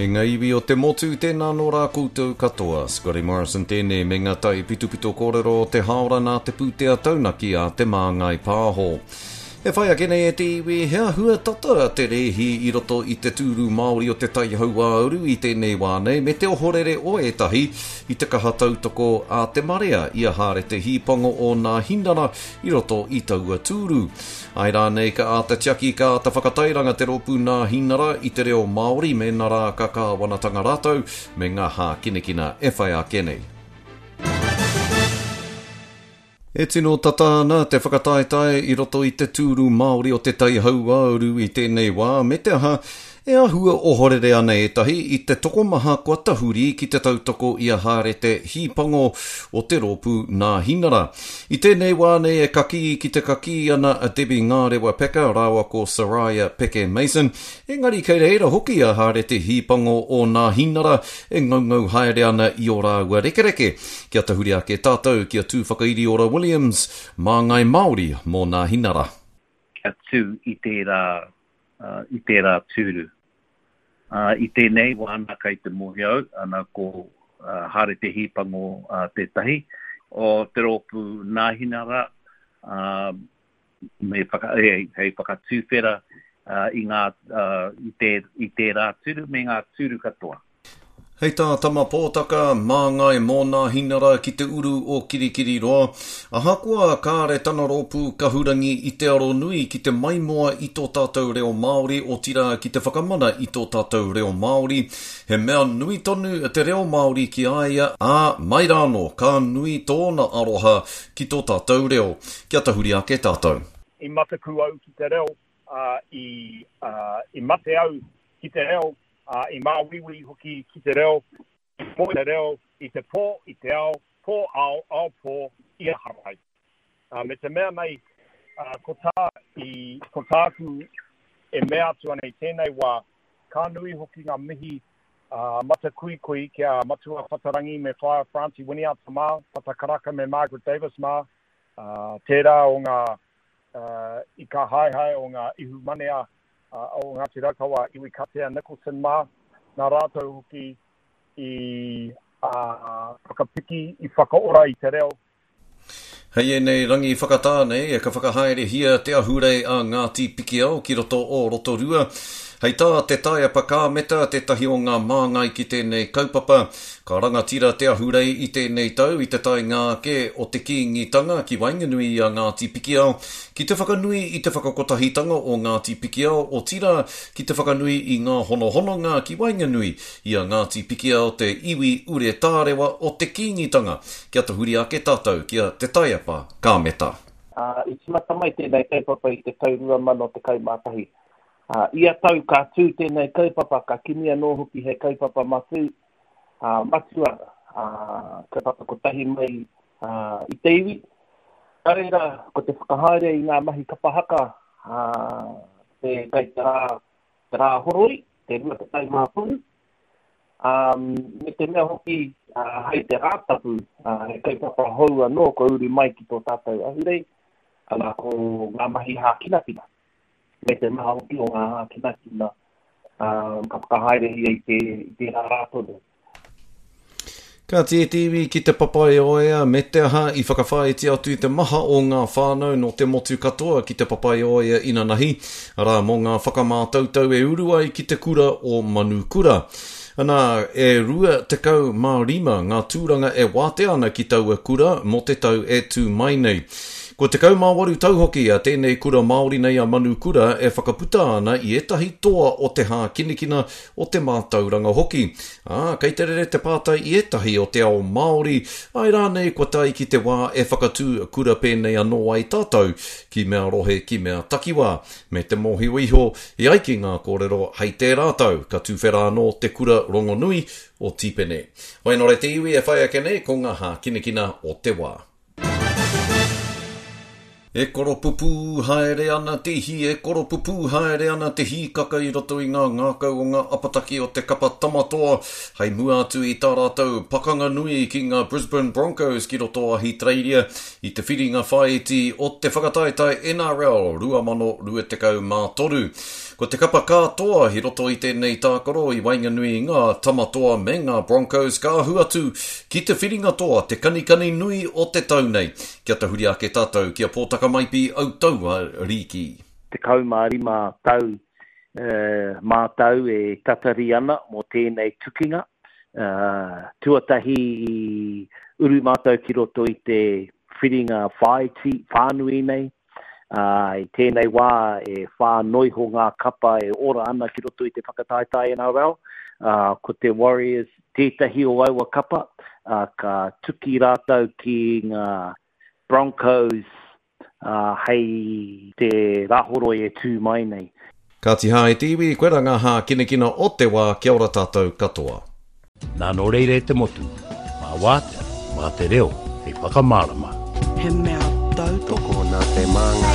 E ngā iwi o te motu, tēnā nō rā koutou katoa. Scotty Morrison tēnei me ngā taipitopito kōrero o te hāora nā te pūtea taunaki a Te Māngai Pāho. E whai ake nei e te iwi, he āhua tata te rēhi i roto i te tūru Māori o Te Tai Hauāuru i tēnei wā nei me te ohorere o ētahi i te kaha tautoko a te marea i a Hārete Hīpango o Nāhinara i roto i taua tūru. Āe rānei ka āta tiaki, ka āta whakatairanga te rōpū Nāhinara i te reo Māori mēnā rā ka kāwanatanga rātou me ngā hākinakina e whai ake nei. E tino tata ana te whakataetae i roto i te tūru Māori o Te Tai Hauāuru i tēnei wā, me te aha, e āhua ohorere ana ētahi i te tokomaha kua tahuri ki te tautoko i a Hārete Hīpango o te rōpū Nāhinara. I tēnei wā nei e kakī ki te kakī ana a Debbie Ngārewa Peka rāua ko Soraya Peke Mason, engari kei reira hoki a Hārete Hīpango o Nāhinara e ngaungau haere ana i ō rāua rekereke. Kia tahuri ake tātou ki a Tūwhakairiora Williams, māngai Māori mō Nāhinara. Kia tū i tērā, i tērā tūru. I tēnei wā ana kei te mōhio au, ana ko Hāre Te Hīpango tētahi o te rōpū Nāhinara, me whaka, hei whakatuwhera i ngā, i te, i tērā tūru me ngā tūru katoa. Hei tā Tama Pōtaka, māngai mō Nāhinara ki te uru o Kirikiriroa, ahakoa kāre tana rōpū kahurangi i te aro nui ki te maimoa i tō tātou reo Māori, otirā ki te whakamana i tō tātou reo Māori, he mea nui tonu te reo Māori ki a ia, ā, mai rānō ka nui tōna aroha ki tō tātou reo. Kia tahuri ake tātou. I mataku au ki te reo, ā, i, ā, i mate au ki te reo, ā, i māuiui hoki ki te reo, i moe te reo i te pō, i te ao, pō ao, ao pō, i aha rai. Ā, me te mea nei, ā, ko tā, i, ko tāku e mea atu ana i tēnei wā, ka nui hoki ngā mihi ā, matakuikui ki a Matua Whatarangi me Whaea Francie Winiata mā, Pata Karaka me Margaret Davis mā, ā, tērā o ngā ika haehae o ngā ihumanea o Ngāti Raukawa, Iwi Katea Nicholson mā, nā rātou hoki i whakapiki, i whakaora i te reo. Hei ēnei rangi whakatā nei, ka whakahaerehia te ahurei a Ngāti Pikiao ki roto o Rotorua. Hei tā Te Taiapa Kāmeta, tētahi o ngā māngai ki tēnei kaupapa, ka rangatira te ahurei i tēnei tau i te taenga ake o te Kīngitanga ki waenganui i a Ngāti Pikiao, ki te whakanui i te whakakotahitanga o Ngāti Pikiao, otirā, ki te whakanui i ngā honohononga ki waenganui i a Ngāti Pikiao te iwi ure tārewa o te Kīngitanga. Kia tahuri ake tātou ki a Te Taiapa Kāmeta. Ā, i tīmata mai tēnei kaupapa i te tau 2011. Ā, ia tau ka tū tēnei kaupapa, ka kimi anō hoki he kaupapa matū, ā, matua, ā, kaupapa kotahi mai, ā, i te iwi. Nā reira, ko te whakahaere i ngā mahi kapa haka, ā, te, kei te rā, te rā horoi, te 23, ā, me te mea hoki, ā, hei te Rātapu, ā, he kaupapa hou anō kua uru mai ki tō tātou ahurei, ana, ko ngā mahi hākinakina, me te maha hoki o ngā hākinakina, ā, ka whakahaerehia i te, i tērā rā tonu. Ka tītīwi ki Te Papaioea me te aha i whakawhāiti atu te maha o ngā whānau nō te motu katoa ki Te Papaioea inanahi, arā, mō ngā whakamātautau e uru ai ki te kura o Manukura. Anā, e 25 ngā tūranga e wātea ana ki taua kura mō te tau e tū mai nei. Kua 18 tau hoki a tēnei kura Māori nei a Manukura e whakaputa ana i ētahi toa o te hākinakina, o te mātauranga hoki. Ā, kei te rere te pātai i ētahi o te ao Māori, āe rānei kua tae ki te wā e whakatū kura pēnei anō ai tātou, ki mea rohe, ki mea takiwā. Me te mōhio iho, e ai ki ngā kōrero, hei tērā tau ka tuwhera anō te kura rongonui o Tīpene. Wainore te iwi e whai ake nei ko ngā hākinakina o te wā. E koropupū haere ana te ihi, e koropupū haere ana te hīkaka i roto i ngā ngākau o ngā apataki o te kapa Tama Toa hei mua atu i tā rātou pakanga nui ki ngā Brisbane Broncos ki roto o Ahitereiria i te whiringa whāiti o te whakataetae NRL 2023. Ko te kapa ka toa i roto i tēnei tākaro i waenganui i ngā Tama Toa me ngā Broncos ka ahu atu ki te whiringa toa te kanikani nui o te tau nei. Kia tahuri ake tātou ki a Pōtaka Maipi Autaua Rīki. 15 tau mātou e tatari ana mō tēnei tukinga. Tuatahi i uru mātou ki roto i te whiringa whāiti, whānui nei, ā, i tēnei wā e whā noiho ngā kapa e ora ana ki roto i te whakataetae NRL, ā, ko te Warriors tētahi o aua kapa, ā, ka tuki rātou ki ngā Broncos, ā, hei te Rāhoroi e tū mai nei. Kāti hā e te iwi, koirā ngā hākinakina o te wā, kia ora tātou katoa. Nā nō reira e te motu, mā wātea, mā te reo hei whakamārama. He mea tautoko. Tokona te māngai.